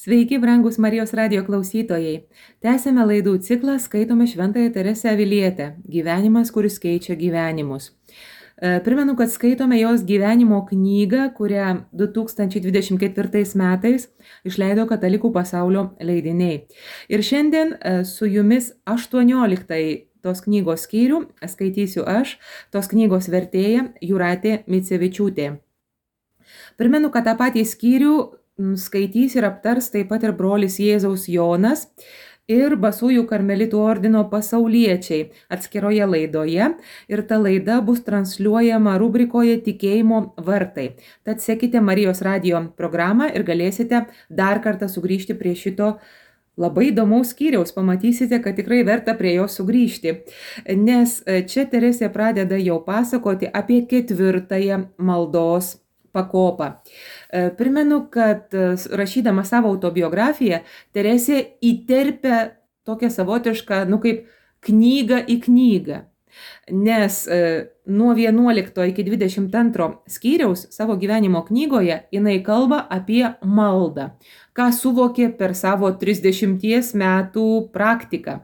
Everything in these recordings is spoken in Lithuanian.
Sveiki, brangus Marijos radijo klausytojai. Tęsėme laidų ciklą Skaitome Šventąją Teresę Avilietę – gyvenimas, kuris keičia gyvenimus. Primenu, kad skaitome jos gyvenimo knygą, kurią 2024 metais išleido Katalikų pasaulio leidiniai. Ir šiandien su jumis 18 tos knygos skyrių skaitysiu aš, tos knygos vertėja Jūratė Micevičiūtė. Primenu, kad tą patį skyrių skaitys ir aptars taip pat ir brolis Jėzaus Jonas ir Basųjų karmelitų ordino pasauliečiai atskiroje laidoje, ir ta laida bus transliuojama rubrikoje Tikėjimo vartai. Tad sekite Marijos radijo programą ir galėsite dar kartą sugrįžti prie šito labai įdomaus skyriaus. Pamatysite, kad tikrai verta prie jo sugrįžti, nes čia Teresė pradeda jau pasakoti apie 4 maldos pakopą. Primenu, kad rašydama savo autobiografiją, Teresė įterpia tokią savotišką, kaip knygą į knygą. Nes nuo 11 iki 22 skyriaus savo gyvenimo knygoje jinai kalba apie maldą, ką suvokė per savo 30 metų praktiką.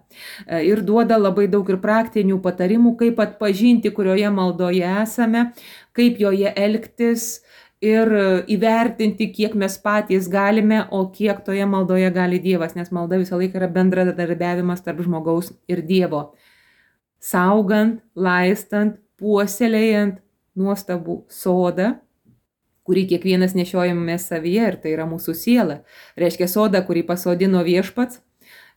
Ir duoda labai daug ir praktinių patarimų, kaip atpažinti, kurioje maldoje esame, kaip joje elgtis, ir įvertinti, kiek mes patys galime, o kiek toje maldoje gali Dievas, nes malda visą laiką yra bendradarbiavimas tarp žmogaus ir Dievo. Saugant, laistant, puoselėjant nuostabų sodą, kurį kiekvienas nešiojame savyje, ir tai yra mūsų siela. Reiškia sodą, kurį pasodino Viešpats,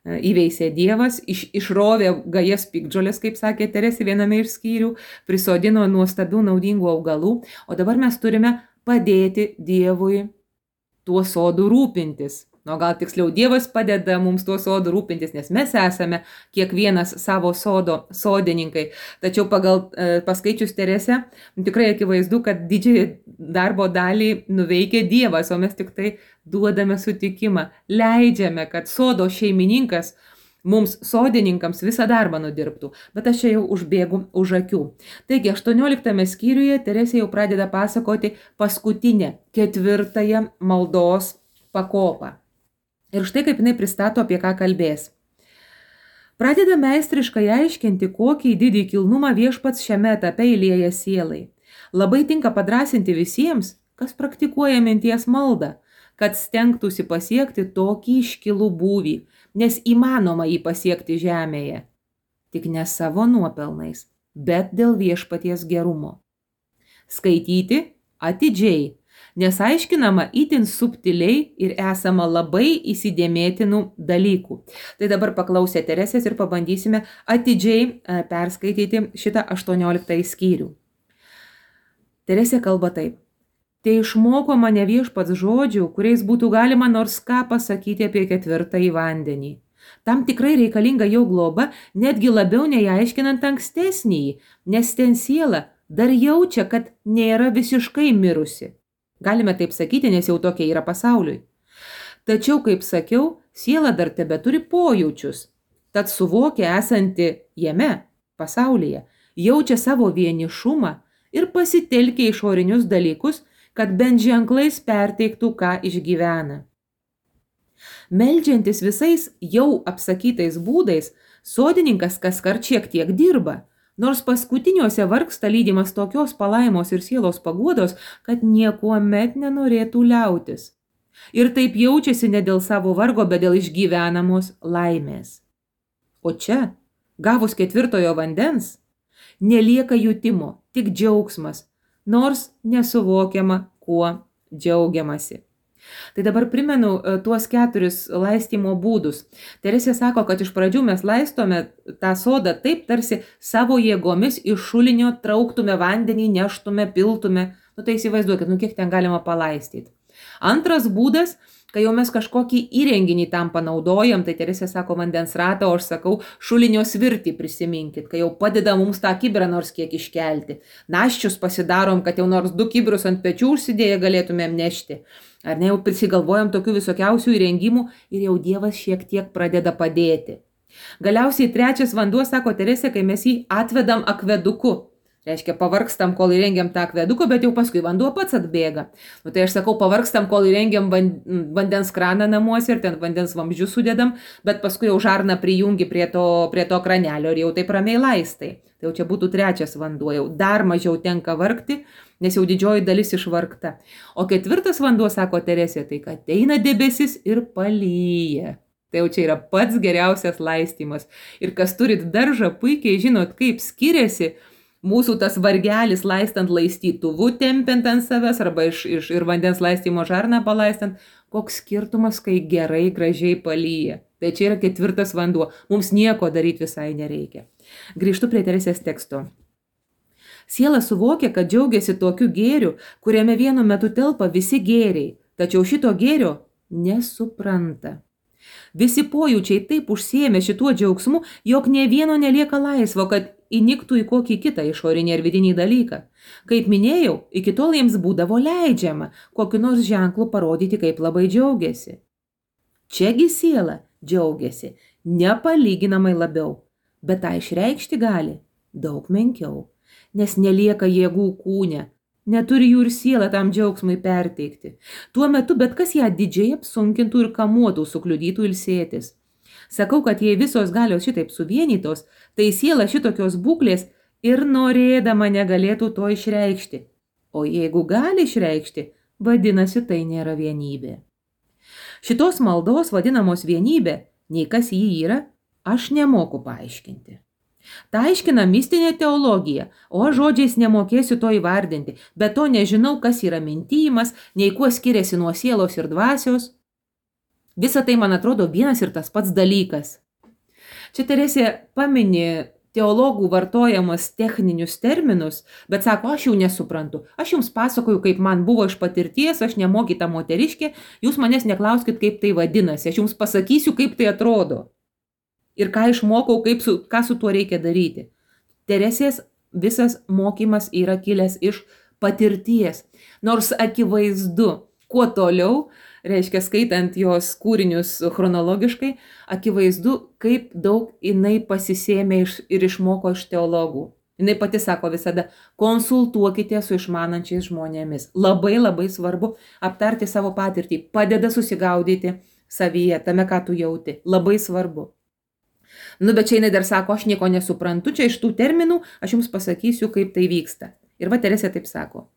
įveisė Dievas, išrovė gajas piktžolės, kaip sakė Teresė viename iš skyrių, prisodino nuostabių naudingų augalų, o dabar mes turime padėti Dievui tuo sodu rūpintis. Gal tiksliau, Dievas padeda mums tuo sodu rūpintis, nes mes esame kiekvienas savo sodo sodininkai. Tačiau paskaičius Teresę, tikrai akivaizdu, kad didžiąją darbo dalį nuveikia Dievas, o mes tik tai duodame sutikimą, leidžiame, kad sodo šeimininkas mums sodininkams visą darbą nudirbtų, bet aš čia jau užbėgu už akių. Taigi, 18 skyriuje Teresė jau pradeda pasakoti paskutinę 4 maldos pakopą. Ir štai kaip jinai pristato, apie ką kalbės. Pradeda meistriškai aiškinti, kokį didį kilnumą Viešpats šiame etape įlieja sielai. Labai tinka padrąsinti visiems, kas praktikuoja minties maldą, kad stengtųsi pasiekti tokį iškilų būvį, nes įmanoma jį pasiekti žemėje. Tik ne savo nuopelnais, bet dėl Viešpaties gerumo. Skaityti atidžiai, nes aiškinama itin subtiliai ir esama labai įsidėmėtinų dalykų. Tai dabar paklausę Teresės ir pabandysime atidžiai perskaityti šitą 18 skyrių. Teresė kalba taip. Tai išmoko mane Viešpats žodžių, kuriais būtų galima nors ką pasakyti apie 4 vandenį. Tam tikrai reikalinga jo globa, netgi labiau nei aiškinant ankstesnįjį, nes ten siela dar jaučia, kad nėra visiškai mirusi. Galime taip sakyti, nes jau tokia yra pasauliui. Tačiau, kaip sakiau, siela dar tebeturi pojūčius, tad suvokia esanti jame, pasaulyje, jaučia savo vienišumą ir pasitelkia išorinius dalykus, kad bent ženklais perteiktų, ką išgyvena. Meldžiantis visais jau apsakytais būdais, sodininkas kaskart šiek tiek dirba, nors paskutiniuose vargsta lydimas tokios palaimos ir sielos paguodos, kad niekuomet nenorėtų liautis. Ir taip jaučiasi ne dėl savo vargo, bet dėl išgyvenamos laimės. O čia, gavus 4 vandens, nelieka jutimo, tik džiaugsmas, nors nesuvokiama, kuo džiaugiamasi. Tai dabar primenu tuos 4 laistymo būdus. Teresė sako, kad iš pradžių mes laistome tą sodą taip, tarsi savo jėgomis iš šulinio trauktume vandenį, neštume, piltume. Tai įsivaizduokit, kiek ten galima palaistyti. Antras būdas, kai jau mes kažkokį įrenginį tam panaudojam, tai Teresė sako vandens ratą, o aš sakau šulinio svirtį prisiminkit, kai jau padeda mums tą kibirą nors kiek iškelti. Naščius pasidarom, kad jau nors 2 kibirus ant pečių užsidėję galėtumėm nešti. Ar ne, jau prisigalvojam tokių visokiausių įrengimų ir jau Dievas šiek tiek pradeda padėti. Galiausiai 3 vanduo, sako Teresė, kai mes jį atvedam akveduku. Reiškia, pavargstam, kol įrengiam tą akveduką, bet jau paskui vanduo pats atbėga. Nu, tai aš sakau, pavargstam, kol įrengiam vandens kraną namuose ir ten vandens vamzdžius sudedam, bet paskui jau žarną prijungi prie to kranelio ir jau taip ramiai laistai. Tai jau čia būtų trečias vanduo, jau dar mažiau tenka vargti, nes jau didžioji dalis išvargta. O ketvirtas vanduo, sako Teresė, tai kad ateina debesis ir palyja. Tai jau čia yra pats geriausias laistymas. Ir kas turit daržą, puikiai žinot, kaip skiriasi mūsų tas vargelis laistant laistytuvu, tempiant ant savęs arba ir vandens laistymo žarną palaistant, koks skirtumas, kai gerai, gražiai palyja. Tai čia yra ketvirtas vanduo. Mums nieko daryti visai nereikia. Grįžtu prie Teresės teksto. Siela suvokia, kad džiaugiasi tokiu gėriu, kuriame vienu metu telpa visi gėriai, tačiau šito gėrio nesupranta. Visi pojūčiai taip užsiėmė šituo džiaugsmu, jog nė vieno nelieka laisvo, kad įniktų į kokį kitą išorinį ar vidinį dalyką. Kaip minėjau, iki tol jiems būdavo leidžiama kokiu nors ženklu parodyti, kaip labai džiaugiasi. Čiagi siela džiaugiasi nepalyginamai labiau, bet tą išreikšti gali daug menkiau, nes nelieka jėgų kūne, neturi jų ir siela tam džiaugsmui perteikti. Tuo metu bet kas ją didžiai apsunkintų ir kamuotų, sukliudytų ilsėtis. Sakau, kad jei visos galios šitaip suvienytos, tai siela šitokios būklės ir norėdama negalėtų to išreikšti. O jeigu gali išreikšti, vadinasi, tai nėra vienybė. Šitos maldos vadinamos vienybė, nei kas jį yra, aš nemoku paaiškinti. Ta aiškina mistinė teologija, o aš žodžiais nemokėsiu to įvardinti, bet to nežinau, kas yra mintijimas, nei kuo skiriasi nuo sielos ir dvasios. Visa tai, man atrodo, vienas ir tas pats dalykas. Čia Teresė pamini teologų vartojamas techninius terminus, bet sako, aš jau nesuprantu. Aš jums pasakoju, kaip man buvo iš patirties, aš nemokyta moteriškė, jūs manęs neklauskit, kaip tai vadinasi, aš jums pasakysiu, kaip tai atrodo. Ir ką išmokau, ką su tuo reikia daryti. Teresės visas mokymas yra kilęs iš patirties, nors akivaizdu, kuo toliau, reiškia skaitant jos kūrinius chronologiškai, akivaizdu, kaip daug jinai pasisėmė ir išmoko iš teologų. Jinai pati sako visada, konsultuokite su išmanančiais žmonėmis. Labai labai svarbu aptarti savo patirtį, padeda susigaudyti savyje, tame, ką tu jauti. Labai svarbu. Nu, bet čia jinai dar sako, aš nieko nesuprantu, čia iš tų terminų aš jums pasakysiu, kaip tai vyksta. Ir va Teresė taip sako.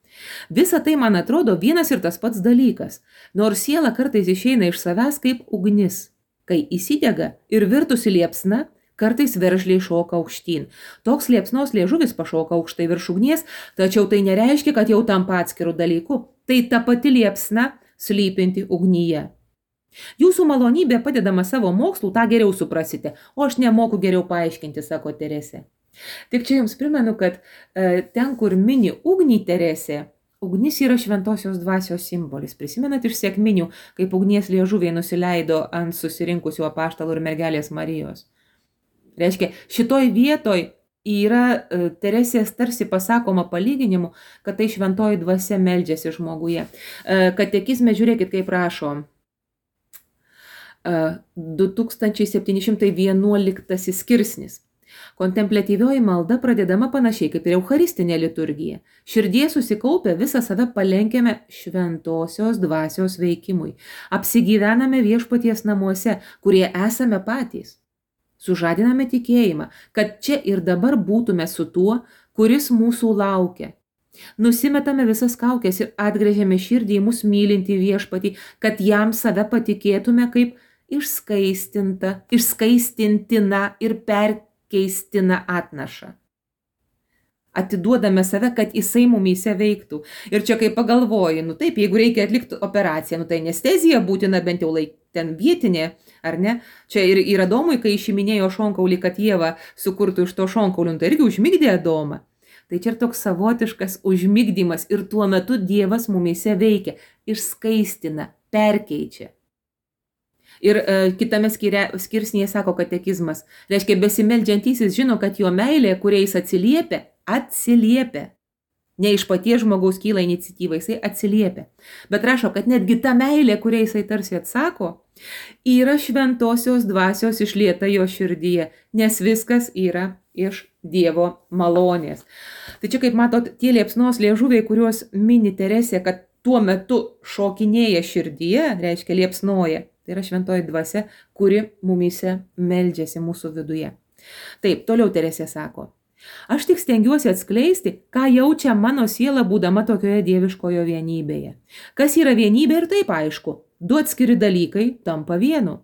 Visa tai, man atrodo, vienas ir tas pats dalykas, nors siela kartais išeina iš savęs kaip ugnis. Kai įsidega ir virtusi liepsna, kartais veržliai šoka aukštyn. Toks liepsnos liežuvis pašoka aukštai virš ugnies, tačiau tai nereiškia, kad jau tampa atskirų dalykų. Tai ta pati liepsna slypinti ugnyje. Jūsų malonybė padedama savo mokslų, tą geriau suprasite, o aš nemoku geriau paaiškinti, sako Teresė. Tik čia jums primenu, kad ten, kur mini ugnį Teresė, ugnis yra šventosios dvasios simbolis. Prisimenat iš sekminių, kaip ugnies liežuviai nusileido ant susirinkusių apaštalų ir mergelės Marijos. Reiškia, šitoj vietoj yra Teresės tarsi pasakoma palyginimu, kad tai šventoji dvasia meldžiasi žmoguje. Katekizme žiūrėkit, kaip rašo. 2711 skirsnis. Kontempliatyvioji malda pradedama panašiai kaip ir eucharistinė liturgija. Širdie susikaupę visą save palenkiame šventosios dvasios veikimui. Apsigyvename viešpaties namuose, kurie esame patys. Sužadiname tikėjimą, kad čia ir dabar būtume su tuo, kuris mūsų laukia. Nusimetame visas kaukes ir atgręžiame širdį į mus mylintį viešpatį, kad jam save patikėtume kaip išskaistintina ir perkeistina atnašą. Atiduodame save, kad jisai mumyse veiktų. Ir čia kai pagalvoji, nu taip, jeigu reikia atlikti operaciją, nu tai anestezija būtina bent jau ten vietinė, ar ne? Čia ir Adomui, kai išiminėjo šonkaulį, kad Ieva sukurtų iš to šonkaulių, tai irgi užmigdė Adomą. Tai čia ir toks savotiškas užmigdymas ir tuo metu Dievas mumyse veikia, išskaistina, perkeičia. Ir kitame skirsnyje sako katekizmas, reiškia besimeldžiantysis žino, kad jo meilė, kuriais atsiliepia. Ne iš paties žmogaus kyla iniciatyva, jisai atsiliepia. Bet rašo, kad netgi ta meilė, kuriai jisai tarsi atsako, yra šventosios dvasios išlieta jo širdyje, nes viskas yra iš Dievo malonės. Tai čia, kaip matot, tie liepsnos liežuviai, kuriuos mini Teresė, kad tuo metu šokinėja širdyje, reiškia liepsnoja, tai yra šventoji dvasia, kuri mumyse meldžiasi mūsų viduje. Taip, toliau Teresė sako. Aš tik stengiuosi atskleisti, ką jaučia mano siela būdama tokioje dieviškojo vienybėje. Kas yra vienybė ir taip aišku, du atskiri dalykai tampa vienu.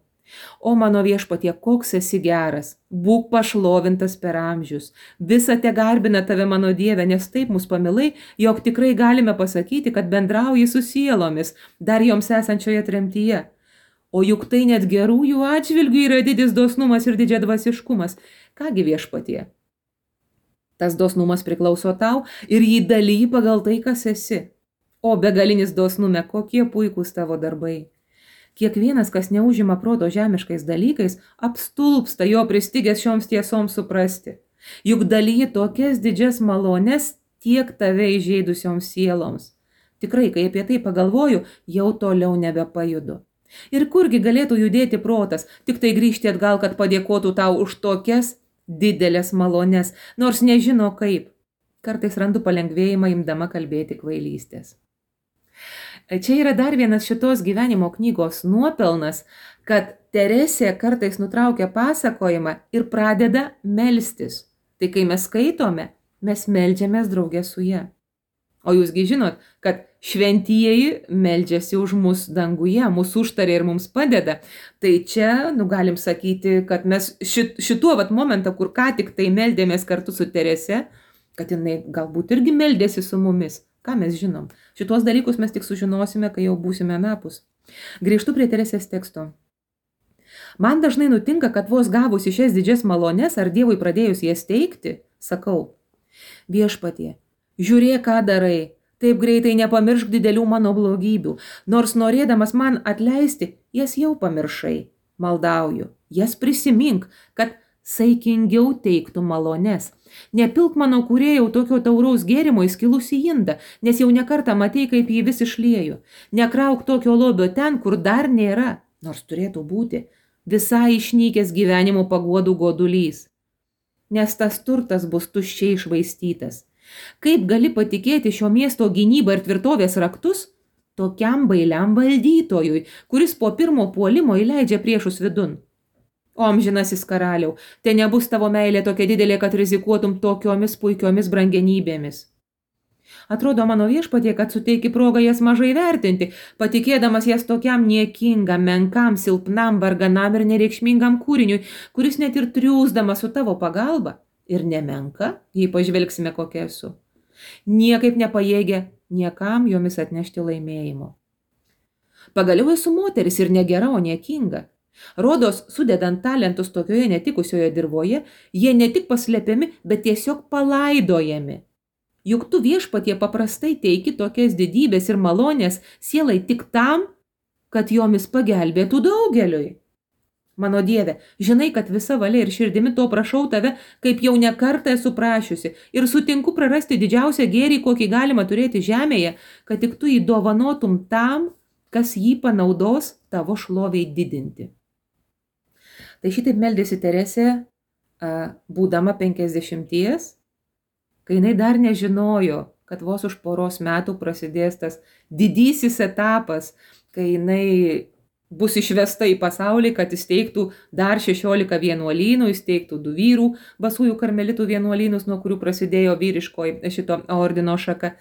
O mano viešpatie, koks esi geras, būk pašlovintas per amžius, visa te garbina tave mano Dieve, nes taip mus pamilai, jog tikrai galime pasakyti, kad bendrauji su sielomis, dar joms esančioje tremtyje. O juk tai net gerųjų atžvilgių yra didis dosnumas ir didžiadvasiškumas. Kągi viešpatie? Tas dosnumas priklauso tau ir jį dalyji pagal tai, kas esi. O begalinis dosnume, kokie puikūs tavo darbai. Kiekvienas, kas neužima proto žemiškais dalykais, apstulpsta jo pristigęs šioms tiesoms suprasti. Juk dalyji tokias didžias malones tiek tave įžeidusioms sieloms. Tikrai, kai apie tai pagalvoju, jau toliau nebepajudu. Ir kurgi galėtų judėti protas, tik tai grįžti atgal, kad padėkotų tau už tokias didelės malones, nors nežino kaip. Kartais randu palengvėjimą imdama kalbėti kvailystės. Čia yra dar vienas šitos gyvenimo knygos nuopelnas, kad Teresė kartais nutraukia pasakojimą ir pradeda melstis. Tai kai mes skaitome, mes meldžiamės draugė su ja. O jūsgi žinot, kad šventieji meldžiasi už mus danguje, mūsų užtarė ir mums padeda. Tai čia, galim sakyti, kad mes šituo momentą, kur ką tik tai meldėmės kartu su Terese, kad jinai galbūt irgi meldėsi su mumis. Ką mes žinom? Šitos dalykus mes tik sužinosime, kai jau būsime anapus. Grįžtu prie Teresės teksto. Man dažnai nutinka, kad vos gavusi šias didžias malones ar Dievui pradėjus jas teikti, sakau, viešpatie, žiūrėk, ką darai, taip greitai nepamiršk didelių mano blogybių, nors norėdamas man atleisti, jas jau pamiršai. Maldauju, jas prisimink, kad saikingiau teiktų malones. Nepilk mano kūrėjau tokio tauraus gėrimo į skilusį indą, nes jau nekartą matei, kaip jį vis išlieju. Nekrauk tokio lobio ten, kur dar nėra, nors turėtų būti, visai išnykęs gyvenimo paguodų godulys. Nes tas turtas bus tuščiai išvaistytas. Kaip gali patikėti šio miesto gynybą ir tvirtovės raktus tokiam bailiam valdytojui, kuris po pirmo puolimo įleidžia priešus vidun? O amžinasis karaliau, te nebus tavo meilė tokia didelė, kad rizikuotum tokiomis puikiomis brangenybėmis. Atrodo mano viešpatie, kad suteiki progą jas mažai vertinti, patikėdamas jas tokiam niekingam, menkam, silpnam, varganam ir nereikšmingam kūriniui, kuris net ir triūsdamas su tavo pagalba ir nemenka, jei pažvelgsime kokia esu, niekaip nepajėgia niekam jomis atnešti laimėjimo. Pagaliau esu moteris ir negera, o niekinga. Rodos, sudedant talentus tokioje netikusioje dirvoje, jie ne tik paslepiami, bet tiesiog palaidojami. Juk tu viešpatie paprastai teiki tokias didybės ir malonės sielai tik tam, kad jomis pagelbėtų daugeliui. Mano Dieve, žinai, kad visa valia ir širdimi to prašau tave, kaip jau ne kartą esu prašiusi, ir sutinku prarasti didžiausią gėrį, kokį galima turėti žemėje, kad tik tu jį dovanotum tam, kas jį panaudos tavo šloviai didinti. Tai šitaip meldėsi Teresė, būdama 50, kai jinai dar nežinojo, kad vos už poros metų prasidės tas didysis etapas, kai jinai bus išvesta į pasaulį, kad įsteigtų dar 16 vienuolynų, įsteigtų 2 vyrų basųjų karmelitų vienuolynus, nuo kurių prasidėjo vyriškoji šito ordino šaka.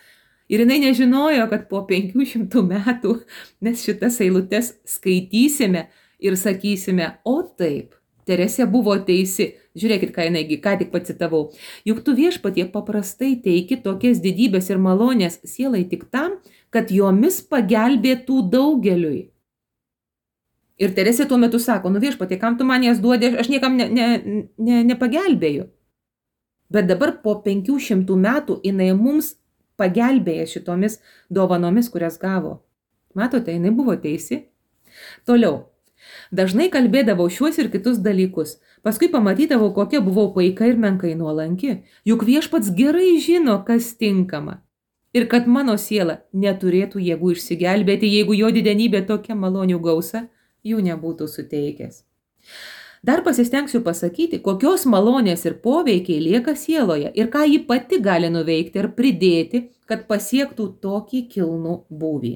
Ir jinai nežinojo, kad po 500 metų mes šitas eilutes skaitysime ir sakysime, o taip, Teresė buvo teisi. Žiūrėkit, ką jinai ką tik pacitavau. Juk tu viešpatie paprastai teiki tokias didybės ir malonės sielai tik tam, kad jomis pagelbėtų daugeliui. Ir Teresė tuo metu sako, viešpatie, kam tu man jas duodi, aš niekam nepagelbėju. Bet dabar po 500 metų jinai mums pagelbėja šitomis dovanomis, kurias gavo. Matote, jinai buvo teisi. Toliau. Dažnai kalbėdavau šiuos ir kitus dalykus. Paskui pamatydavau, kokia buvau paika ir menkai nuolanki. Juk viešpats gerai žino, kas tinkama. ir kad mano siela neturėtų jėgų išsigelbėti, jeigu jo didenybė tokia malonių gausa jų nebūtų suteikęs. Dar pasistengsiu pasakyti, kokios malonės ir poveikiai lieka sieloje ir ką ji pati gali nuveikti ir pridėti, kad pasiektų tokį kilnų būvį.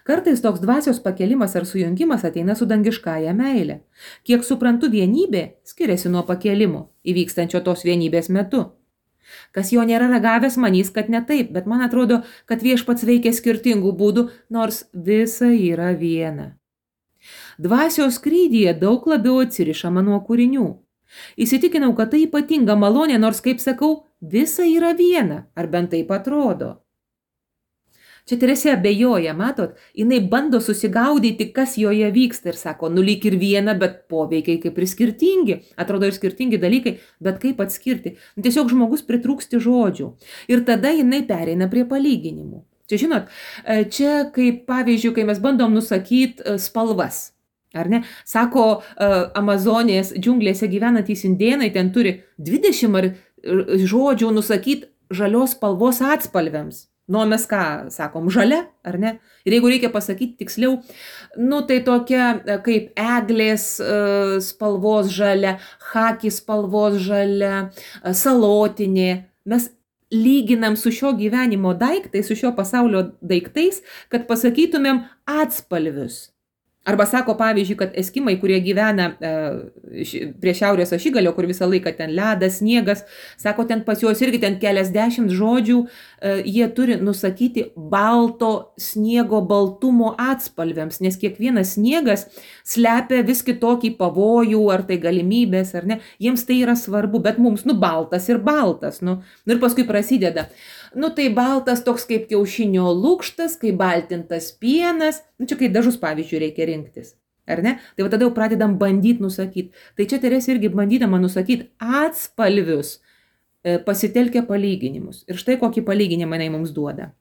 Kartais toks dvasios pakelimas ar sujungimas ateina su dangiškąja meile. Kiek suprantu, vienybė skiriasi nuo pakelimo, įvykstančio tos vienybės metu. Kas jo nėra ragavęs, manys, kad ne taip, bet man atrodo, kad Viešpats veikia skirtingų būdų, nors visa yra viena. Dvasios skrydyje daug labiau atsirišama nuo kūrinių. Įsitikinau, kad tai ypatinga malonė, nors, kaip sakau, visa yra viena, ar bent taip atrodo. Čia Teresė abejoja, matot, jinai bando susigaudyti, kas joje vyksta ir sako, lyg ir viena, bet poveikiai kaip ir skirtingi, atrodo ir skirtingi dalykai, bet kaip atskirti. Tiesiog žmogus pritrūksti žodžių ir tada jinai pereina prie palyginimų. Čia žinot, čia kaip pavyzdžiui, kai mes bandom nusakyti spalvas. Ar ne? Sako, Amazonės džiunglėse gyvenantys indėnai ten turi 20 žodžių nusakyti žalios spalvos atspalviams. Mes ką sakom, žalia, ar ne? Ir jeigu reikia pasakyti tiksliau, tai tokia kaip eglės spalvos žalia, chaki spalvos žalia, salotinė. Mes lyginam su šio gyvenimo daiktais, su šio pasaulio daiktais, kad pasakytumėm atspalvius. Arba sako, pavyzdžiui, kad eskimai, kurie gyvena prie šiaurės ašigalio, kur visą laiką ten ledas, sniegas, sako, ten pas juos irgi ten keliasdešimt žodžių, jie turi nusakyti balto sniego baltumo atspalviams, nes kiekvienas sniegas slepia vis kitokį pavojų, ar tai galimybės, ar ne. Jiems tai yra svarbu, bet mums, baltas ir baltas, ir paskui prasideda. Tai baltas toks kaip kiaušinio lukštas, kaip baltintas pienas, čia kai dažus pavyzdžiui reikia rinktis, ar ne? Tai tada jau pradedam bandyti nusakyti. Tai čia Teresė irgi bandydama nusakyti atspalvius, pasitelkia palyginimus. Ir štai kokį palyginimą jinai mums duoda.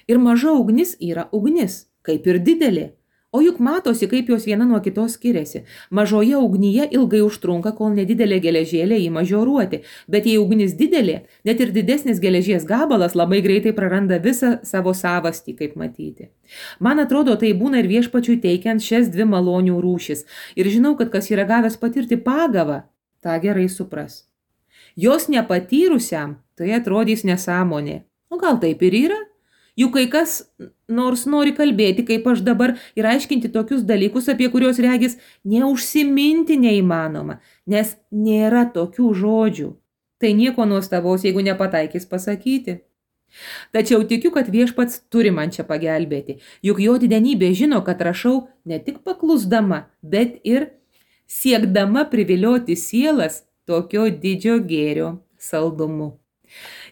Ir maža ugnis yra ugnis, kaip ir didelė. O juk matosi, kaip jos viena nuo kitos skiriasi. Mažoje ugnyje ilgai užtrunka, kol nedidelė geležėlė ima žioruoti. Bet jei ugnis didelė, net ir didesnis geležies gabalas labai greitai praranda visą savo savastį, kaip matyti. Man atrodo, tai būna ir Viešpačiui teikiant šias dvi malonių rūšis. Ir žinau, kad kas yra gavęs patirti pagavą, tą gerai supras. Jos nepatyrusiam tai atrodys nesąmonė. O gal taip ir yra? Juk kai kas nors nori kalbėti, kaip aš dabar, ir aiškinti tokius dalykus, apie kuriuos regis neužsiminti neįmanoma, nes nėra tokių žodžių. Tai nieko nuostabaus, jeigu nepataikys pasakyti. Tačiau tikiu, kad Viešpats turi man čia pagelbėti, juk jo didenybė žino, kad rašau ne tik paklusdama, bet ir siekdama privilioti sielas tokio didžio gėrio saldumu.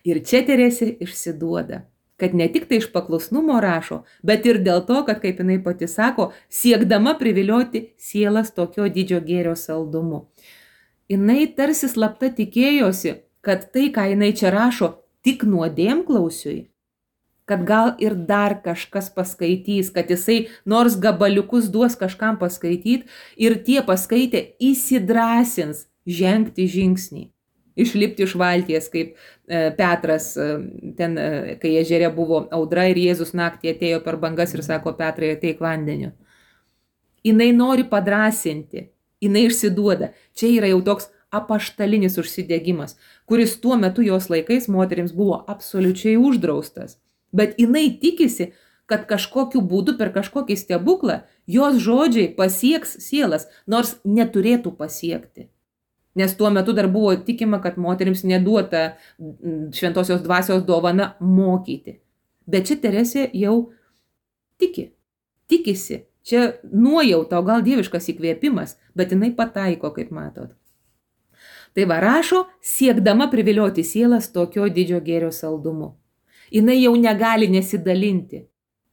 Ir čia Teresė išsiduoda, kad ne tik tai iš paklusnumo rašo, bet ir dėl to, kad, kaip jinai pati sako, siekdama privilioti sielas tokio didžio gėrio saldumu. Jinai tarsi slapta tikėjosi, kad tai, ką jinai čia rašo, tik nuodėmklausiui, kad gal ir dar kažkas paskaitys, kad jisai nors gabaliukus duos kažkam paskaityti ir tie paskaitę įsidrąsins žengti žingsnį. Išlipti iš valties, kaip Petras, ten, kai ežere buvo audra ir Jėzus naktį atėjo per bangas ir sako, Petrai, ateik vandeniu. Jinai nori padrąsinti, jinai išsiduoda. Čia yra jau toks apaštalinis užsidegimas, kuris tuo metu jos laikais moterims buvo absoliučiai uždraustas. Bet jinai tikisi, kad kažkokiu būdu per kažkokį stebuklą jos žodžiai pasieks sielas, nors neturėtų pasiekti. Nes tuo metu dar buvo tikima, kad moterims neduota šventosios dvasios dovana mokyti. Bet čia Teresė jau tikisi. Čia nuojauta, o gal dieviškas įkvėpimas, bet jinai pataiko, kaip matot. Tai va rašo, siekdama privilioti sielas tokio didžio gėrio saldumu. Jinai jau negali nesidalinti.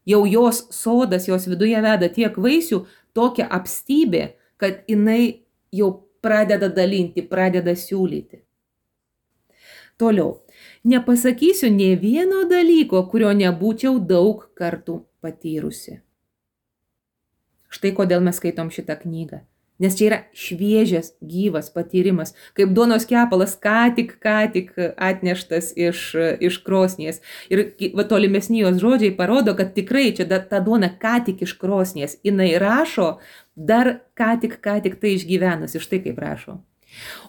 Jau jos sodas, jos viduje veda tiek vaisių, tokia apstybė, kad jinai jau pradeda dalinti, pradeda siūlyti. Toliau. Nepasakysiu nė vieno dalyko, kurio nebūčiau daug kartų patyrusi. Štai kodėl mes skaitom šitą knygą. Nes čia yra šviežias, gyvas patyrimas, kaip duonos kepalas ką tik atneštas iš krosnies. Ir tolimesni jos žodžiai parodo, kad tikrai čia ta duona ką tik iš krosnies. Jinai rašo, dar ką tik tai išgyvenusi, štai kaip rašo.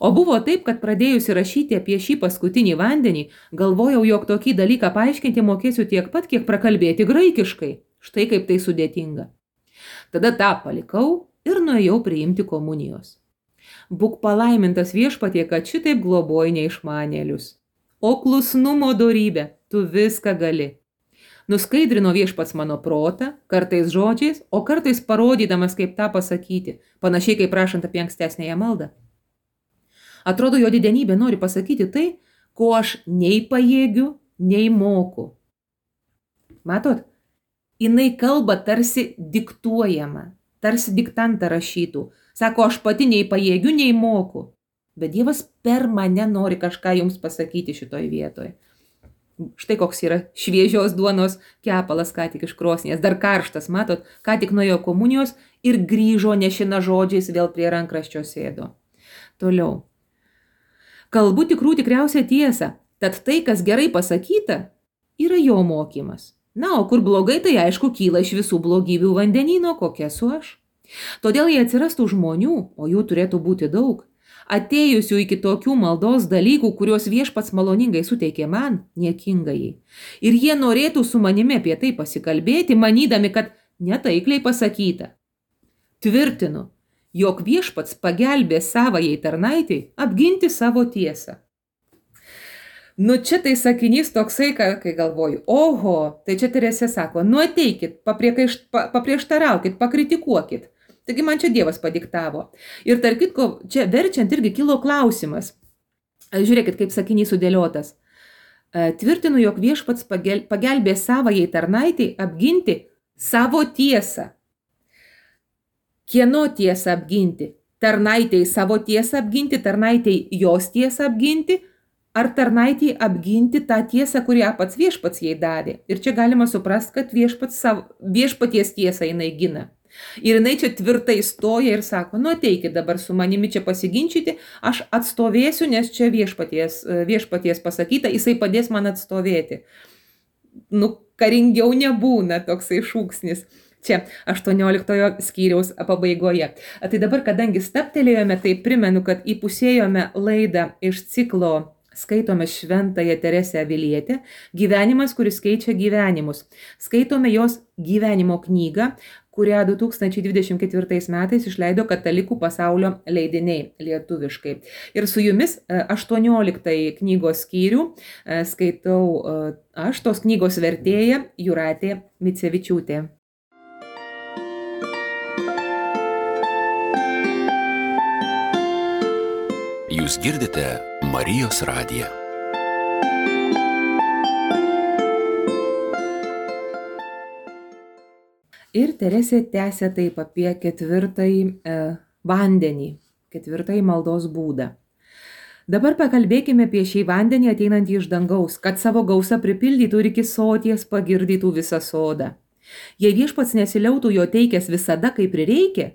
O buvo taip, kad pradėjusi rašyti apie šį paskutinį vandenį, galvojau, jog tokį dalyką paaiškinti mokėsiu tiek pat, kiek prakalbėti graikiškai. Štai kaip tai sudėtinga. Tada tą palikau ir nuėjau priimti komunijos. Būk palaimintas Viešpatie, kad šitaip globoji neišmanėlius. O klusnumo dorybė, tu viską gali. Nuskaidrino Viešpats mano protą, kartais žodžiais, o kartais parodydamas, kaip tą pasakyti, panašiai kaip prašant apie ankstesnėje maldą. Atrodo, jo didenybė nori pasakyti tai, ko aš nei pajėgiu, nei moku. Matot, jinai kalba tarsi diktuojama, tarsi diktantą rašytų. Sako, aš pati nei pajėgiu, nei moku. Bet Dievas per mane nori kažką jums pasakyti šitoj vietoj. Štai koks yra šviežios duonos kepalas ką tik iš krosnies, dar karštas, matot, ką tik nuėjo komunijos ir grįžo nešina žodžiais vėl prie rankraščio sėdo. Toliau. Kalbu tikriausia tiesa, tad tai, kas gerai pasakyta, yra jo mokymas. Na, o kur blogai, tai aišku, kyla iš visų blogybių vandenyno, kokia esu aš. Todėl jei atsirastų žmonių, o jų turėtų būti daug, atėjusių iki tokių maldos dalykų, kuriuos Viešpats maloningai suteikė man, niekingai. Ir jie norėtų su manimi apie tai pasikalbėti, manydami, kad netaikliai pasakyta. Tvirtinu, jog Viešpats pagelbė savajai tarnaitei apginti savo tiesą. Nu, čia tai sakinys toksai, kai galvoju, oho, tai čia Teresė sako, nu ateikit, paprieštaraukit, pakritikuokit. Taigi man čia Dievas padiktavo. Ir tarp kitko, čia verčiant irgi kilo klausimas. Žiūrėkit, kaip sakinys sudėliotas. Tvirtinu, jog Viešpats pagelbė savajai tarnaitei apginti savo tiesą. Kieno tiesą apginti? Tarnaitei savo tiesą apginti, tarnaitei jos tiesą apginti, ar tarnaitį apginti tą tiesą, kurią pats Viešpats jai davė. Ir čia galima suprasti, kad Viešpaties tiesą jinai gina. Ir jinai čia tvirtai stoja ir sako, nu ateikit dabar su manimi čia pasiginčyti, aš atstovėsiu, nes čia viešpaties pasakyta, jisai padės man atstovėti. Nu, karingiau nebūna toksai šūksnis. Čia 18 skyriaus pabaigoje. Tai dabar, kadangi staptelėjome, tai primenu, kad įpusėjome laidą iš ciklo Skaitome šventąją Teresę Avilietę, gyvenimas, kuris keičia gyvenimus. Skaitome jos gyvenimo knygą, kurią 2024 metais išleido Katalikų pasaulio leidiniai lietuviškai. Ir su jumis 18 knygos skyrių skaitau aš, tos knygos vertėja Jūratė Micevičiūtė. Jūs girdite Marijos radiją. Ir Teresė tęsia taip apie ketvirtąjį vandenį, ketvirtąjį maldos būdą. Dabar pakalbėkime apie šį vandenį ateinantį iš dangaus, kad savo gausą pripildytų ir iki soties pagirdytų visą sodą. Jei Viešpats nesiliautų jo teikęs visada, kaip prireikia,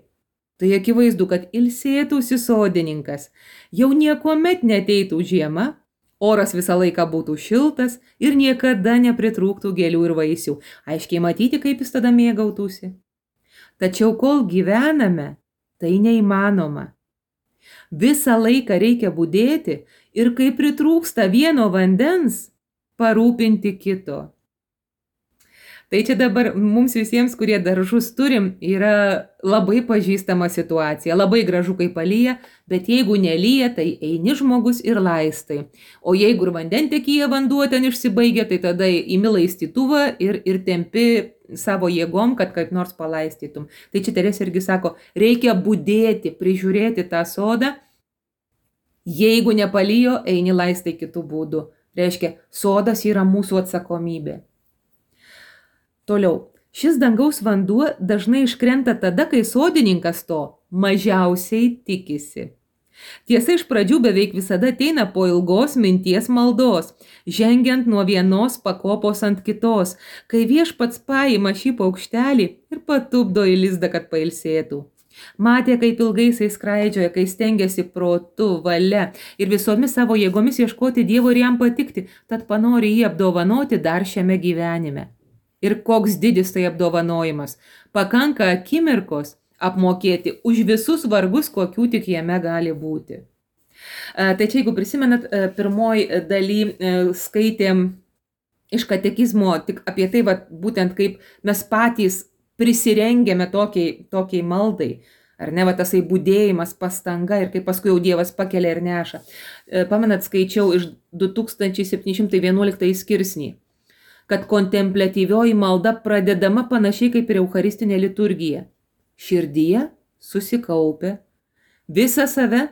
tai akivaizdu, kad ilsėtųsi sodininkas, jau niekuomet neteitų žiema, oras visą laiką būtų šiltas ir niekada nepritrūktų gėlių ir vaisių. Aiškiai matyti, kaip jis tada mėgautųsi. Tačiau kol gyvename, tai neįmanoma. Visą laiką reikia budėti ir kai pritrūksta vieno vandens, parūpinti kito. Tai čia dabar mums visiems, kurie daržus turim, yra labai pažįstama situacija. Labai gražu, kai palyja, bet jeigu nelyja, tai eini žmogus ir laistai. O jeigu ir vandentekyje vanduo ten išsibaigia, tai tada imi laistytuvą ir tempi savo jėgom, kad kaip nors palaistytum. Tai čia Teresė irgi sako, reikia budėti, prižiūrėti tą sodą. Jeigu nepalyjo, eini laistai kitų būdų. Reiškia, sodas yra mūsų atsakomybė. Toliau, šis dangaus vanduo dažnai iškrenta tada, kai sodininkas to mažiausiai tikisi. Tiesa, iš pradžių beveik visada ateina po ilgos minties maldos, žengiant nuo vienos pakopos ant kitos, kai Viešpats paima šį paukštelį ir patupdo į lizdą, kad pailsėtų. Matė, kaip ilgai jisai skraidžioja, kai stengiasi protu, valia ir visomis savo jėgomis ieškoti Dievo ir jam patikti, tad panori jį apdovanoti dar šiame gyvenime. Ir koks didis tai apdovanojimas. Pakanka akimirkos apmokėti už visus vargus, kokių tik jame gali būti. Tai čia, jeigu prisimenat, pirmoj daly skaitėm iš katekizmo tik apie tai, būtent kaip mes patys prisirengėme tokiai maldai. Ar ne, tasai būdėjimas, pastanga ir kaip paskui jau Dievas pakelia ir neša. Pamenat, skaičiau iš 2711 skirsnį, kad kontempliatyvioji malda pradedama panašiai kaip ir eucharistinė liturgija. Širdyje susikaupę, visą save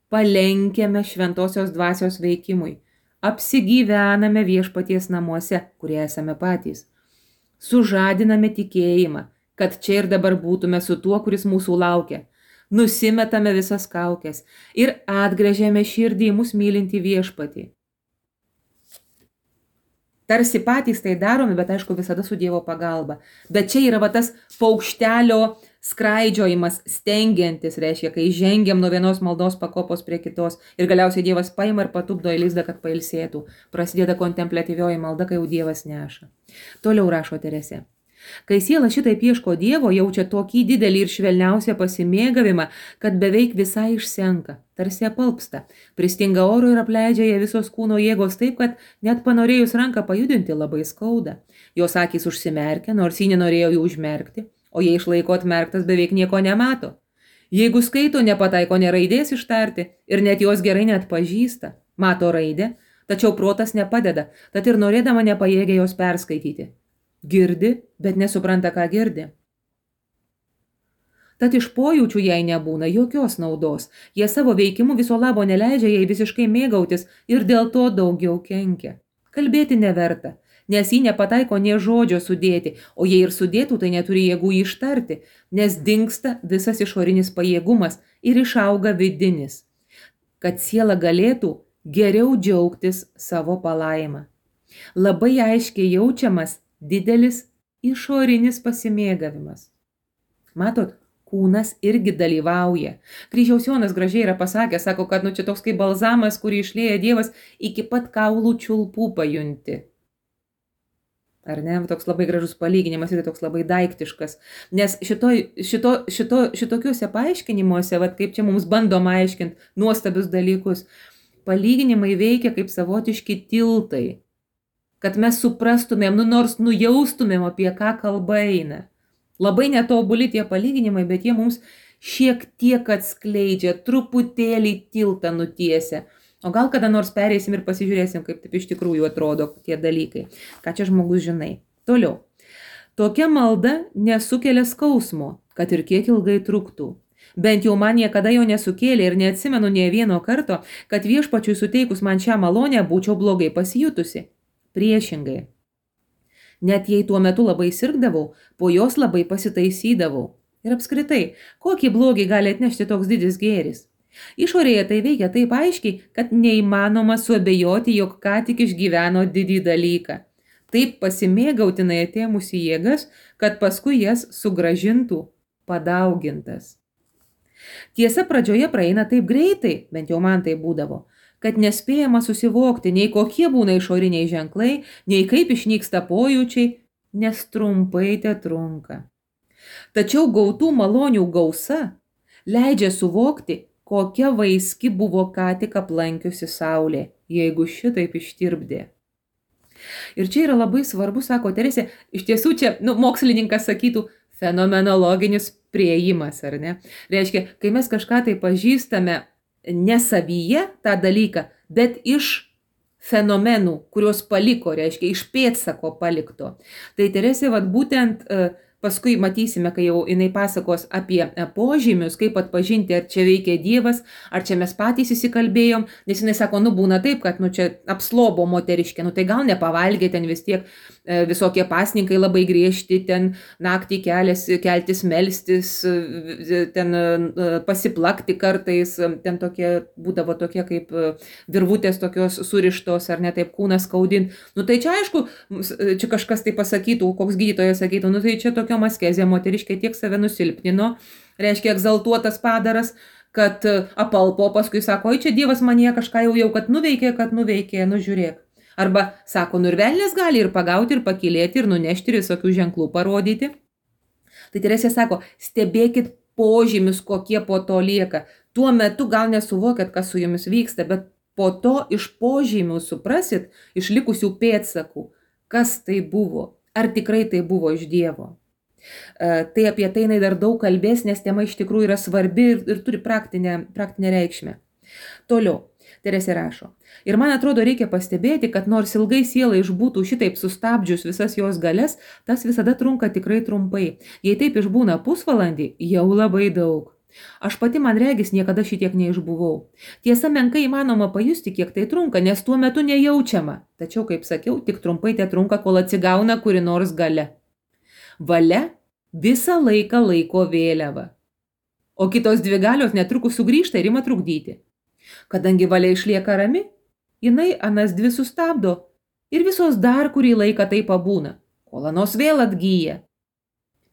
palenkiame šventosios dvasios veikimui, apsigyvename viešpaties namuose, kurie esame patys, sužadiname tikėjimą, kad čia ir dabar būtume su tuo, kuris mūsų laukia, nusimetame visas kaukes ir atgręžiame širdį į mus mylinti viešpatį. Tarsi patys tai darome, bet aišku visada su Dievo pagalba. Bet čia yra tas paukštelio skraidžiojimas, stengiantis, reiškia, kai žengiam nuo vienos maldos pakopos prie kitos ir galiausiai Dievas paima ir patupdo į lizdą, kad pailsėtų. Prasideda kontempliatyvioji malda, kai jau Dievas neša. Toliau rašo Teresė. Kai siela šitaip ieško Dievo, jaučia tokį didelį ir švelniausią pasimėgavimą, kad beveik visai išsenka, tarsi apalpsta, pristinga oro ir apleidžia ją visos kūno jėgos taip, kad net panorėjus ranką pajudinti labai skauda. Jos akys užsimerkia, nors ji nenorėjo jų užmerkti, o jei išlaiko atmerktas beveik nieko nemato. Jeigu skaito, nepataiko nė raidės ištarti ir net jos gerai net pažįsta, mato raidę, tačiau protas nepadeda, tad ir norėdama nepajėgia jos perskaityti. Girdi, bet nesupranta, ką girdi. Tad iš pojūčių jai nebūna jokios naudos. Jie savo veikimu viso labo neleidžia jai visiškai mėgautis ir dėl to daugiau kenkia. Kalbėti neverta, nes jį nepataiko nė žodžio sudėti, o jei ir sudėtų, tai neturi jėgų ištarti, nes dingsta visas išorinis pajėgumas ir išauga vidinis, kad siela galėtų geriau džiaugtis savo palaimą. Labai aiškiai jaučiamas didelis išorinis pasimėgavimas. Matot, kūnas irgi dalyvauja. Kryžiaus Jonas gražiai yra pasakęs, sako, kad čia toks kaip balzamas, kurį išlieja Dievas, iki pat kaulų čiulpų pajunti. Ar ne? Toks labai gražus palyginimas ir toks labai daiktiškas. Nes šitokiuose paaiškinimuose, kaip čia mums bandoma aiškinti nuostabius dalykus, palyginimai veikia kaip savotiški tiltai. Kad mes suprastumėm, nors nujaustumėm, apie ką kalba eina. Labai netobuli tie palyginimai, bet jie mums šiek tiek atskleidžia, truputėlį tiltą nutiesia. O gal kada nors pereisim ir pasižiūrėsim, kaip taip iš tikrųjų atrodo tie dalykai. Ką čia žmogus žinai. Toliau. Tokia malda nesukelia skausmo, kad ir kiek ilgai truktų. Bent jau man niekada jo nesukėlė ir neatsimenu nė vieno karto, kad viešpačiui suteikus man šią malonę būčiau blogai pasijutusi. Priešingai. Net jei tuo metu labai sirgdavau, po jos labai pasitaisydavau. Ir apskritai, kokį blogį gali atnešti toks didis gėris? Išorėje tai veikia taip aiškiai, kad neįmanoma suabejoti, jog ką tik išgyveno didį dalyką. Taip pasimėgautinai atėmusi jėgas, kad paskui jas sugrąžintų padaugintas. Tiesa, pradžioje praeina taip greitai, bent jau man tai būdavo, kad nespėjama susivokti, nei kokie būna išoriniai ženklai, nei kaip išnyksta pojūčiai, nes trumpai te trunka. Tačiau gautų malonių gausa leidžia suvokti, kokia vaiski buvo ką tik aplankiusi saulė, jeigu šitaip ištirpdė. Ir čia yra labai svarbu, sako Teresė, iš tiesų čia, mokslininkas sakytų, fenomenologinis priėjimas, ar ne? Reiškia, kai mes kažką tai pažįstame ne savyje tą dalyką, bet iš fenomenų, kuriuos paliko, reiškia, iš pėdsako palikto. Tai Teresė, būtent paskui matysime, kai jau jinai pasakos apie požymius, kaip atpažinti, ar čia veikia Dievas, ar čia mes patys įsikalbėjom, nes jinai sako, būna taip, kad čia apslobo moteriškė, tai gal nepavalgė, ten vis tiek visokie pasninkai labai griežti, ten naktį keltis, melstis, ten pasiplakti kartais, ten būdavo tokie kaip virvutės tokios surištos, ar ne taip kūnas skaudint. Tai čia aišku, čia kažkas tai pasakytų, koks gydytojas sakytų, tai čia tokiom askezėm, moteriškė tiek save nusilpnino, reiškia egzaltuotas padaras, kad apalpo, paskui sako, oi čia Dievas manie kažką jau kad nuveikė, nu žiūrėk. Arba sako, nu ir velnės gali ir pagauti, ir pakilėti, ir nunešti, ir visokių ženklų parodyti. Tai Teresė sako, stebėkit požymius, kokie po to lieka. Tuo metu gal nesuvokėt, kas su jumis vyksta, bet po to iš požymių suprasit, iš likusių pėdsakų, kas tai buvo, ar tikrai tai buvo iš Dievo. Tai apie tai jinai dar daug kalbės, nes tema iš tikrųjų yra svarbi ir turi praktinę reikšmę. Toliau, Teresė rašo. Ir man atrodo, reikia pastebėti, kad nors ilgai siela išbūtų šitaip sustabdžius visas jos galias, tas visada trunka tikrai trumpai. Jei taip išbūna pusvalandį, jau labai daug. Aš pati, man regis, niekada šitiek neišbuvau. Tiesa, menkai įmanoma pajusti, kiek tai trunka, nes tuo metu nejaučiama. Tačiau, kaip sakiau, tik trumpai tai trunka, kol atsigauna kuri nors galia. Valia visą laiką laiko vėliavą. O kitos dvi galios netrukus sugrįžta ir ima trukdyti. Kadangi valia išlieka rami, jinai anas dvi sustabdo ir visos dar kurį laiką tai pabūna, kol anos vėl atgyja.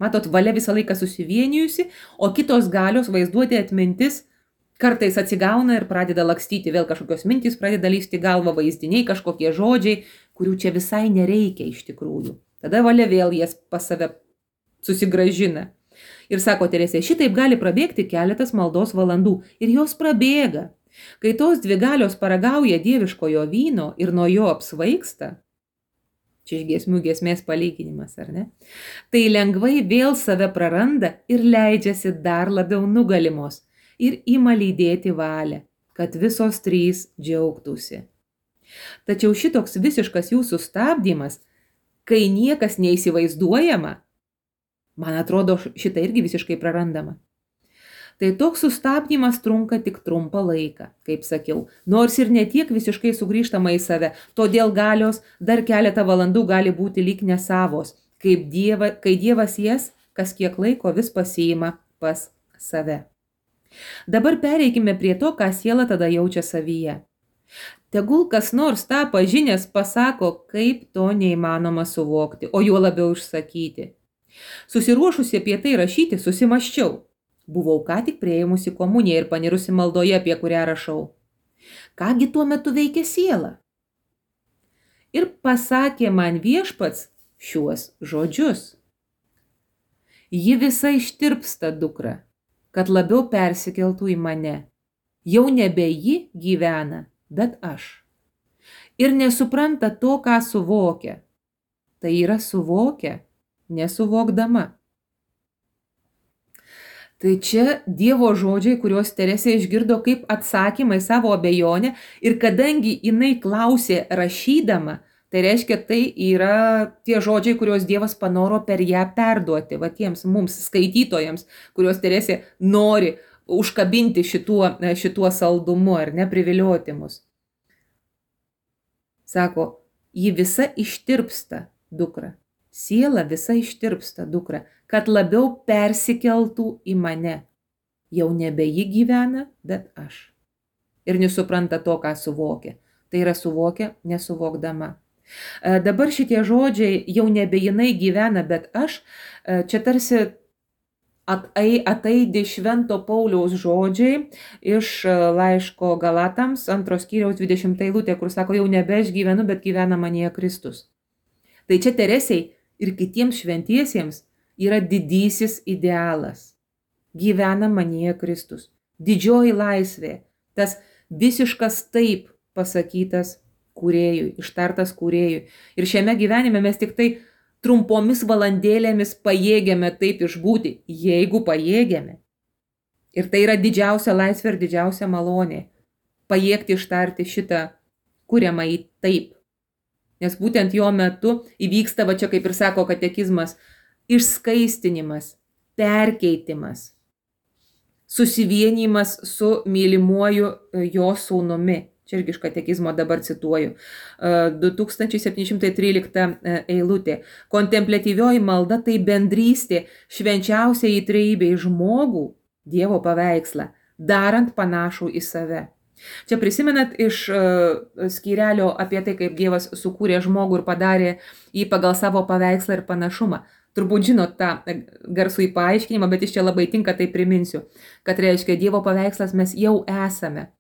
Matot, valia visą laiką susivienijusi, o kitos galios, vaizduotė, atmintis, kartais atsigauna ir pradeda lakstyti, vėl kažkokios mintys pradeda lysti galvą, vaizdiniai, kažkokie žodžiai, kurių čia visai nereikia iš tikrųjų. Tada valia vėl jas pas save susigražina. Ir sako Teresė, šitaip gali prabėgti keletas maldos valandų ir jos prabėga. Kai tos dvi galios paragauja dieviškojo vyno ir nuo jo apsvaigsta, čia iš giesmių giesmės palyginimas, ar ne? Tai lengvai vėl save praranda ir leidžiasi dar labiau nugalimos ir ima lydėti valią, kad visos trys džiaugtųsi. Tačiau šitoks visiškas jų sustabdymas, kai niekas neįsivaizduojama, man atrodo, šitą irgi visiškai prarandama. Tai toks sustabdymas trunka tik trumpą laiką, kaip sakiau, nors ir ne tiek visiškai sugrįžtama į save, todėl galios dar keletą valandų gali būti lyg nesavos, kai Dievas jas kas kiek laiko vis pasiima pas save. Dabar pereikime prie to, ką siela tada jaučia savyje. Tegul kas nors tą pažinęs pasako, kaip to neįmanoma suvokti, o juo labiau išsakyti. Susiruošusi apie tai rašyti, susimaščiau. Buvau ką tik prieimusi komuniją ir panirusi maldoje, apie kurią rašau. Kągi tuo metu veikia siela? Ir pasakė man Viešpats šiuos žodžius. Ji visa ištirpsta, dukra, kad labiau persikeltų į mane. Jau nebe ji gyvena, bet aš. Ir nesupranta to, ką suvokia. Tai yra suvokia, nesuvokdama. Tai čia Dievo žodžiai, kuriuos Teresė išgirdo kaip atsakymai savo abejonę ir kadangi jinai klausė rašydama, tai reiškia, tai yra tie žodžiai, kuriuos Dievas panoro per ją perduoti, va tiems mums skaitytojams, kuriuos Teresė nori užkabinti šituo saldumu ar neprivilioti mus. Sako, ji visa ištirpsta, dukra. Siela visa ištirpsta, dukra, kad labiau persikeltų į mane. Jau nebe ji gyvena, bet aš. Ir nesupranta to, ką suvokia. Tai yra suvokia, nesuvokdama. Dabar šitie žodžiai, jau nebe jinai gyvena, bet aš, čia tarsi ataidi Švento Pauliaus žodžiai iš laiško Galatams, 2 skyriaus 20 eilutė, kur sako, jau nebe aš gyvenu, bet gyvena manyje Kristus. Tai čia Teresei ir kitiems šventiesiems yra didysis idealas. Gyvena manyje Kristus. Didžioji laisvė, tas visiškas taip pasakytas kūrėjui, ištartas kūrėjui. Ir šiame gyvenime mes tik tai trumpomis valandėlėmis pajėgiame taip išbūti, jeigu pajėgiame. Ir tai yra didžiausia laisvė ir didžiausia malonė. Pajėgti ištarti šitą kuriamąjį taip. Nes būtent jo metu įvyksta, va čia kaip ir sako katekizmas, išskaistinimas, perkeitimas, susivienijimas su mylimuoju jo sūnumi. Čia irgi iš katekizmo dabar cituoju. 2713 eilutė. Kontempliatyvioji malda tai bendrystė švenčiausiai trejybei žmogų, Dievo paveikslą, darant panašų į save. Čia prisimenat iš skyrelio apie tai, kaip Dievas sukūrė žmogų ir padarė jį pagal savo paveikslą ir panašumą. Turbūt žinot tą garsų į paaiškinimą, bet iš čia labai tinka, tai priminsiu, kad reiškia Dievo paveikslas mes jau esame.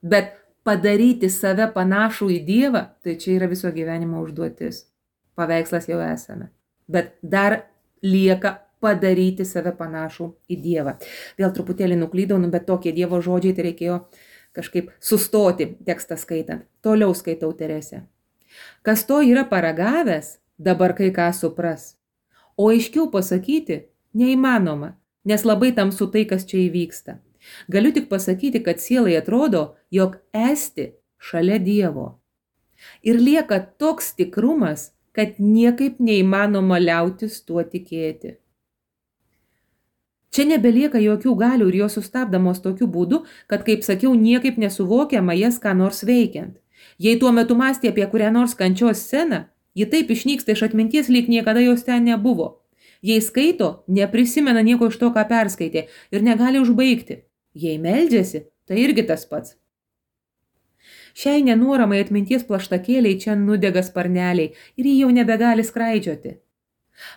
Bet padaryti save panašų į Dievą, tai čia yra viso gyvenimo užduotis. Paveikslas jau esame. Bet dar lieka padaryti save panašų į Dievą. Vėl truputėlį nuklydau, bet tokie Dievo žodžiai, tai reikėjo kažkaip sustoti tekstą skaitant. Toliau skaitau Teresę. Kas to yra paragavęs, dabar kai ką supras. O aiškiau pasakyti neįmanoma, nes labai tamsu tai, kas čia įvyksta. Galiu tik pasakyti, kad sielai atrodo, jog esti šalia Dievo. Ir lieka toks tikrumas, kad niekaip neįmanoma liautis tuo tikėti. Čia nebelieka jokių galių ir jos sustabdamos tokiu būdu, kad, kaip sakiau, niekaip nesuvokiama jas ką nors veikiant. Jei tuo metu mąstė apie kurią nors kančios sceną, ji taip išnyksta iš atminties, lyg niekada jos ten nebuvo. Jei skaito, neprisimena nieko iš to, ką perskaitė ir negali užbaigti. Jei meldžiasi, tai irgi tas pats. Šiai nenuoramai atminties plaštakėliai čia nudega sparneliai ir ji jau nebegali skraidžioti.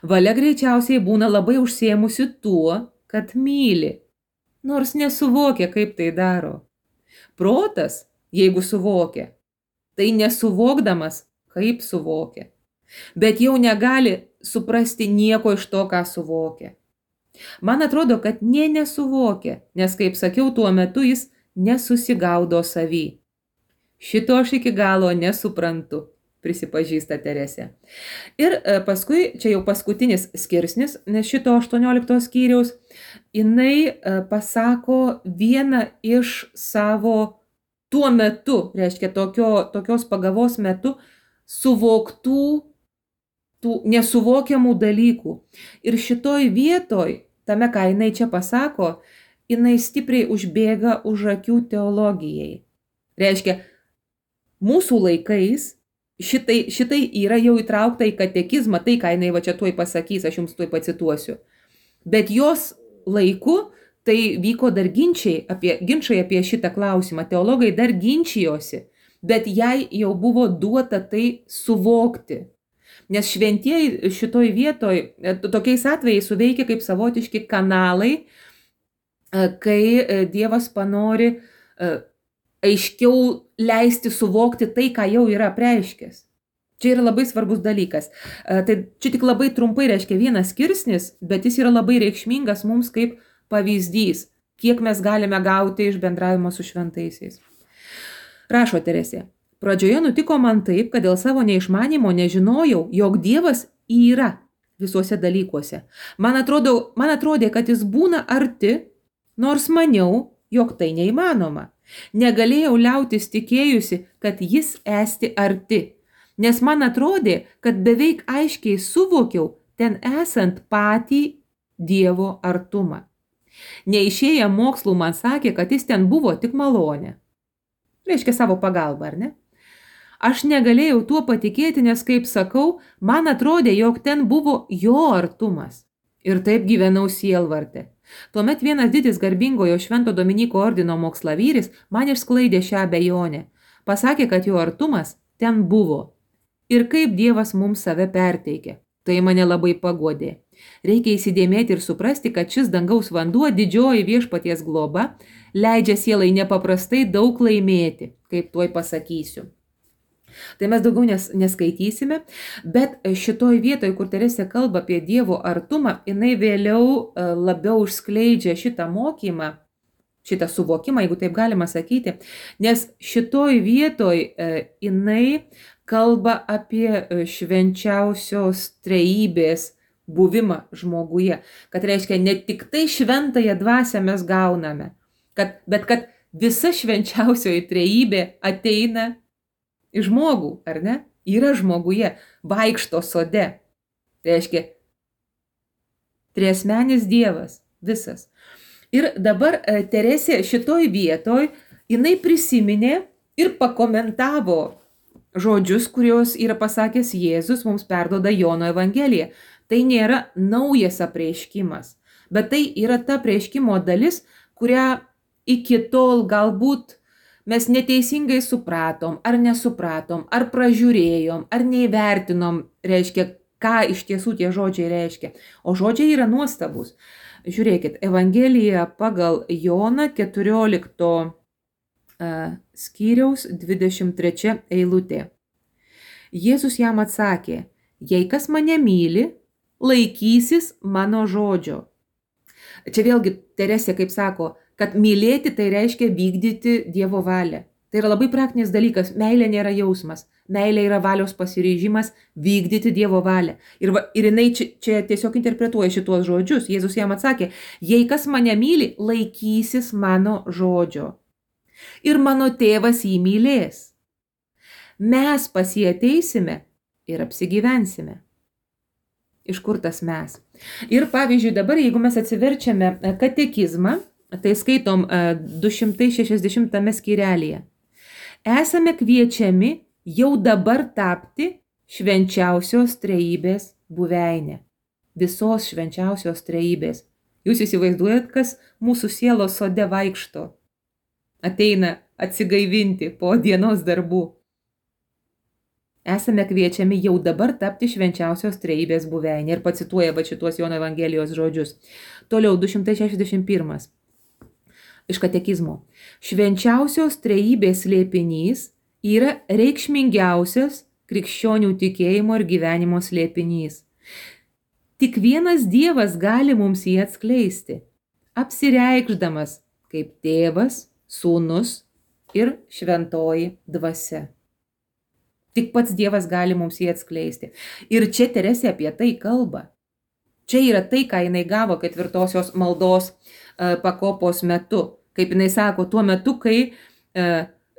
Valia greičiausiai būna labai užsiėmusi tuo, kad myli, nors nesuvokia, kaip tai daro. Protas, jeigu suvokia, tai nesuvokdamas, kaip suvokia, bet jau negali suprasti nieko iš to, ką suvokia. Man atrodo, kad nesuvokia, nes, kaip sakiau, tuo metu jis nesusigaudo savy. Šito aš iki galo nesuprantu, prisipažįsta Teresė. Ir paskui, čia jau paskutinis skirsnis, nes šito 18 skyriaus, jinai pasako vieną iš savo tuo metu, reiškia tokios pagavos metu, suvoktų, tų nesuvokiamų dalykų. Ir šitoj vietoj, tame, ką jinai čia pasako, jinai stipriai užbėga už akių teologijai. Reiškia, mūsų laikais šitai yra jau įtraukta į katekizmą, tai, ką jinai va čia tuoj pasakys, aš jums tuoj pacituosiu. Bet jos laiku tai vyko dar ginčiai apie šitą klausimą. Teologai dar ginčijosi, bet jai jau buvo duota tai suvokti. Nes šventieji šitoj vietoj tokiais atvejais suveikia kaip savotiški kanalai, kai Dievas panori aiškiau leisti suvokti tai, ką jau yra apreiškęs. Čia yra labai svarbus dalykas. Tai čia tik labai trumpai reiškia vienas skirsnis, bet jis yra labai reikšmingas mums kaip pavyzdys, kiek mes galime gauti iš bendravimo su šventaisiais. Rašo Teresė. Pradžioje nutiko man taip, kad dėl savo neišmanymo nežinojau, jog Dievas yra visuose dalykuose. Man atrodė, kad jis būna arti, nors maniau, jog tai neįmanoma. Negalėjau liautis tikėjusi, kad jis esti arti, nes man atrodė, kad beveik aiškiai suvokiau ten esant patį Dievo artumą. Neišėję mokslų man sakė, kad jis ten buvo tik malonė. Reiškia savo pagalbą, ar ne? Aš negalėjau tuo patikėti, nes, kaip sakau, man atrodė, jog ten buvo jo artumas. Ir taip gyvenau sielvarte. Tuomet vienas didis garbingojo Švento Dominyko ordino mokslavvyris man išsklaidė šią abejonę. Pasakė, kad jo artumas ten buvo. Ir kaip Dievas mums save perteikė. Tai mane labai paguodė. Reikia įsidėmėti ir suprasti, kad šis dangaus vanduo, didžioji viešpaties globa, leidžia sielai nepaprastai daug laimėti, kaip tuoj pasakysiu. Tai mes daugiau neskaitysime, bet šitoj vietoj, kur Teresė kalba apie Dievo artumą, jinai vėliau labiau užskleidžia šitą mokymą, šitą suvokimą, jeigu taip galima sakyti, nes šitoj vietoj jinai kalba apie švenčiausios trejybės buvimą žmoguje, kad reiškia ne tik tai šventąją dvasią mes gauname, bet kad visa švenčiausioji trejybė ateina į žmogų, ar ne? Yra žmoguje, vaikšto sode. Tai reiškia, triasmenis Dievas, visas. Ir dabar Teresė šitoj vietoj, jinai prisiminė ir pakomentavo žodžius, kuriuos yra pasakęs Jėzus, mums perduoda Jono Evangelija. Tai nėra naujas apreiškimas, bet tai yra ta apreiškimo dalis, kurią iki tol galbūt mes neteisingai supratom, ar nesupratom, ar pražiūrėjom, ar neįvertinom, reiškia, ką iš tiesų tie žodžiai reiškia. O žodžiai yra nuostabus. Žiūrėkit, Evangelija pagal Joną 14 skyriaus 23 eilutė. Jėzus jam atsakė, jei kas mane myli, laikysis mano žodžio. Čia vėlgi Teresė kaip sako, kad mylėti tai reiškia vykdyti Dievo valią. Tai yra labai praktinis dalykas, meilė nėra jausmas, meilė yra valios pasiryžimas vykdyti Dievo valią. Ir jinai čia tiesiog interpretuoja šituos žodžius. Jėzus jam atsakė, jei kas mane myli, laikysis mano žodžio. Ir mano tėvas jį mylės. Mes pas jį ateisime ir apsigyvensime. Iš kur tas mes? Ir pavyzdžiui, dabar, jeigu mes atsiverčiame katekizmą, tai skaitom 260 skyrelėje. Esame kviečiami jau dabar tapti švenčiausios trejybės buveinė. Visos švenčiausios trejybės. Jūs įsivaizduojat, kas mūsų sielos sode vaikšto. Ateina atsigaivinti po dienos darbų. Esame kviečiami jau dabar tapti švenčiausios trejybės buveinė. Ir pacituoja šituos Jono Evangelijos žodžius. Toliau 261. Iš katekizmo. Švenčiausios trejybės slėpinys yra reikšmingiausias krikščionių tikėjimo ir gyvenimo slėpinys. Tik vienas Dievas gali mums jį atskleisti, apsireikšdamas kaip Tėvas, Sūnus ir Šventoji Dvasia. Tik pats Dievas gali mums jį atskleisti. Ir čia Teresė apie tai kalba. Čia yra tai, ką jinai gavo 4 maldos pakopos metu. Kaip jinai sako, tuo metu, kai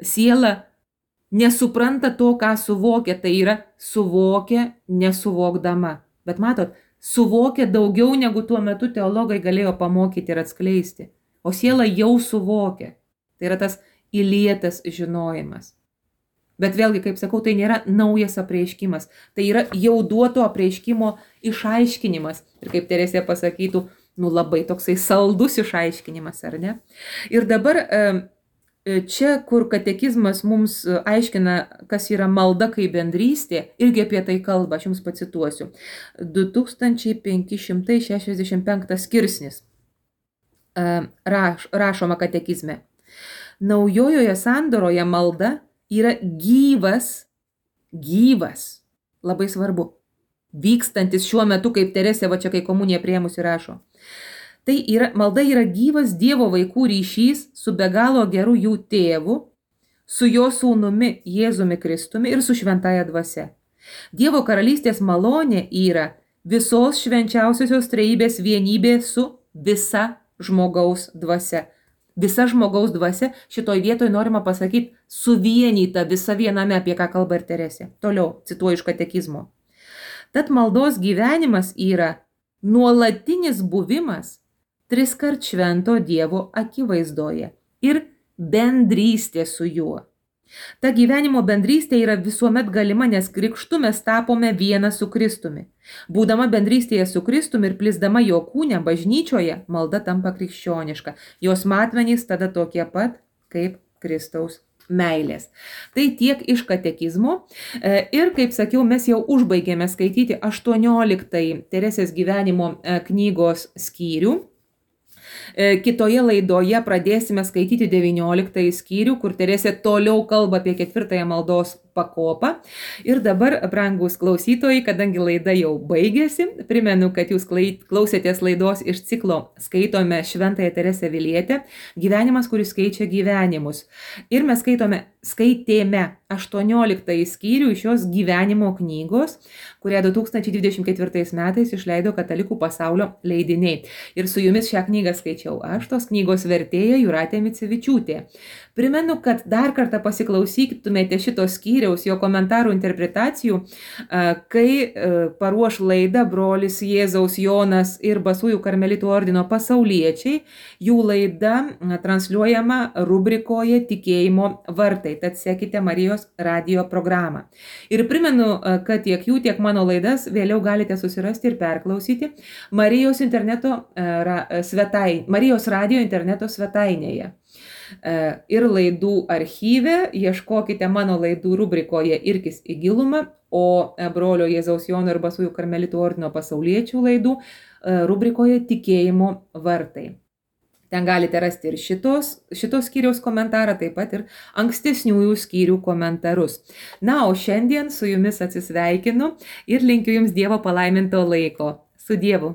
siela nesupranta to, ką suvokia, tai yra suvokia nesuvokdama. Bet matot, suvokia daugiau negu tuo metu teologai galėjo pamokyti ir atskleisti. O siela jau suvokia. Tai yra tas įlietas žinojimas. Bet vėlgi, kaip sakau, tai nėra naujas apreiškimas. Tai yra jau duoto apreiškimo išaiškinimas. Ir kaip Teresė pasakytų, labai toksai saldus išaiškinimas, ar ne? Ir dabar čia, kur katekizmas mums aiškina, kas yra malda kaip bendrystė, irgi apie tai kalba, aš jums pacituosiu. 2565 skirsnis rašoma katekizme. Naujojoje sandoroje malda yra gyvas, labai svarbu, vykstantis šiuo metu, kaip Teresė, čia kai komuniją priėmusi rašo. Tai malda yra gyvas Dievo vaikų ryšys su be galo geru jų tėvu, su jo sūnumi Jėzumi Kristumi ir su šventąja dvasia. Dievo karalystės malonė yra visos švenčiausiosios trejybės vienybė su visa žmogaus dvasia. Visa žmogaus dvasia, šitoj vietoj norima pasakyti, suvienyta visa viename, apie ką kalba ir Teresė. Toliau, cituoju iš katekizmo. Tad maldos gyvenimas yra nuolatinis buvimas triskart švento Dievo akivaizdoje ir bendrystė su juo. Ta gyvenimo bendrystė yra visuomet galima, nes krikštu mes tapome vieną su Kristumi. Būdama bendrystėje su Kristumi ir plisdama jo kūne bažnyčioje, malda tampa krikščioniška. Jos matmenys tada tokie pat kaip Kristaus meilės. Tai tiek iš katekizmo. Ir, kaip sakiau, mes jau užbaigėme skaityti 18 Teresės gyvenimo knygos skyrių. Kitoje laidoje pradėsime skaityti 19 skyrių, kur Teresė toliau kalba apie 4 maldos pakopą. Ir dabar, brangūs klausytojai, kadangi laida jau baigėsi, primenu, kad jūs klausėtės laidos iš ciklo Skaitome Šventąją Teresę Avilietę, gyvenimas, kuris keičia gyvenimus. Ir mes skaitėme 18 skyrių iš jos gyvenimo knygos, kurią 2024 metais išleido Katalikų pasaulio leidiniai. Ir su jumis šią knygą skaičiau aš, tos knygos vertėja Jūratė Micevičiūtė. Primenu, kad dar kartą pasiklausytumėte šitos skyriaus, jo komentarų interpretacijų, kai paruoš laidą brolis Jėzaus Jonas ir Basųjų karmelitų ordino pasauliečiai, jų laida transliuojama rubrikoje Tikėjimo vartai, tad sekite Marijos radijo programą. Ir primenu, kad tiek jų, tiek mano laidas vėliau galite susirasti ir perklausyti Marijos radijo interneto svetainėje. ir laidų archyve, ieškokite mano laidų rubrikoje Irkis į gilumą, o brolio Jėzaus Jono ir Basųjų karmelitų ordino pasauliečių laidų rubrikoje Tikėjimo vartai. Ten galite rasti ir šitos skyriaus komentarą, taip pat ir ankstesniųjų skyrių komentarus. Na, o šiandien su jumis atsisveikinu ir linkiu jums Dievo palaiminto laiko. Su Dievu.